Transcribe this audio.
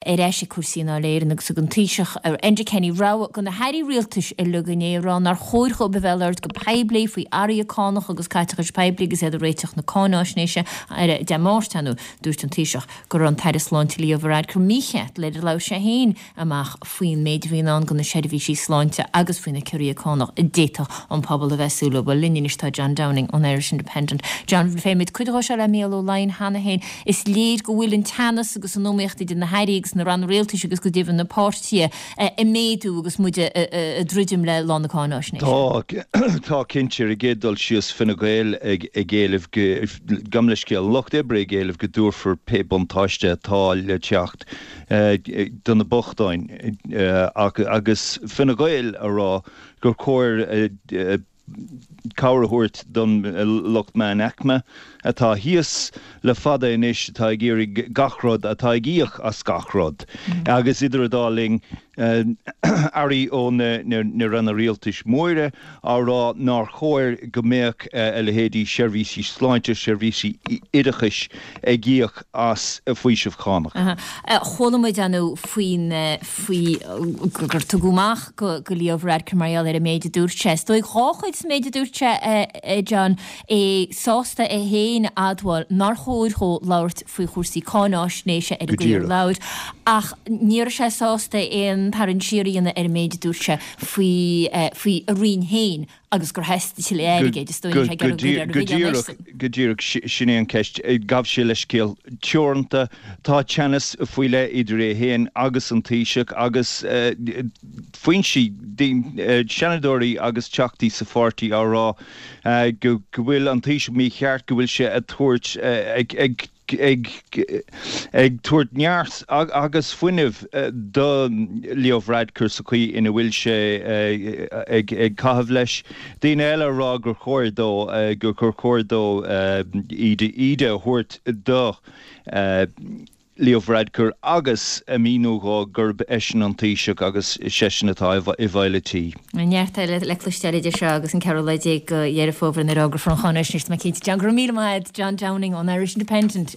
Ar ais ag cúrsaí i nDáil Éireann agus thug an Taoiseach, Enda Kenny, rabhadh do na hairí rialtais uilig inné ag rá nár chóir dhóibh a bheith ag labhairt go poiblí faoi athruithe cánach agus caiteachais poiblí agus iad ag réiteach na cáináisnéise ar Dé Máirt. Ar ndóigh, dúirt an Taoiseach go raibh an tAire Sláinte Leo Varadkar mícheart nuair a labhair sé féin amach faoin méid a bhí i ndán do na seirbhísí sláinte agus faoi na ciorruithe cánach a d'fhéadfadh an pobal a bheith ag súil leo. Bhuel, linn anois tá John Downing ón Irish Independent. John, phléigh muid cuid dhó seo le Mícheál Ó Laighin cheana féin. Is léir go bhfuil an teannas agus an iomaíocht idir na hairí agus na ranna rialtais agus go deimhin na páirtithe ag méadú agus muid ag druidim le lá na cáináisnéise. Tá, tá cinnte. Ar an gcéad dul síos, Fine Gael ag éileamh go, gabh mo leithscéal, an Lucht Oibre ag éileamh go dtabharfar pé buntáiste atá le teacht do na bochtáin agus Fine Gael a rá gur chóir cabhair a thabhairt don lucht meánaicme atá thíos le fada anois, atá ag iarraidh gach rud, atá ag íoc as gach rud. Agus idir an dá linn, airí ó na ranna rialtais móra á rá nár chóir go mbeadh a leithéidí seirbhísí sláinte, seirbhísí oideachais ag íoc as faoiseamh cánach. Chuala muid inniu faoin, faoi gur tugadh amach go Leo Varadkar mar gheall ar an méid a dúirt sé. Is dóigh dhá chuid sa méid a dúirt sé, a John, é sásta é féin a admháil nár chóir dhó labhairt faoi chúrsaí cáináisnéise ar an gcaoi ar labhair, ach ní raibh sé sásta aon tarraingt siar a dhéanamh ar an méid a dúirt sé faoi faoi a roinn féin agus gur theastaigh tuilleadh airgid, is dóigh ní raibh sé ag iarraidh go raibh ar a mhilleán airsean. Go díreach, sin é an cheist. Ghabh sé leithscéal teoranta. Tá teannas faoi leith idir é féin agus an Taoiseach agus foinsí, seanadóirí agus teachtaí sa pháirtí á rá go bhfuil an Taoiseach mícheart, go bhfuil sé ag tabhairt, ag ag tabhairt neart agus fuinneamh do Leo Varadkar sa chaoi ina bhfuil sé ag caitheamh leis. Daoine eile ag rá gur chóir dó, gur chóir dó íde a thabhairt do Leo Varadkar agus a mhíniú dhó gurb eisean an Taoiseach agus seisean atá i bhfeighil an tí. Neart eile le cloisteáil idir seo agus an ceathrú lá déag de Dheireadh Fómhair nuair a fhógrófar an cháinaisnéis, tá mé cinnte. John, go raibh míle maith agat, John Downing ón Irish Independent.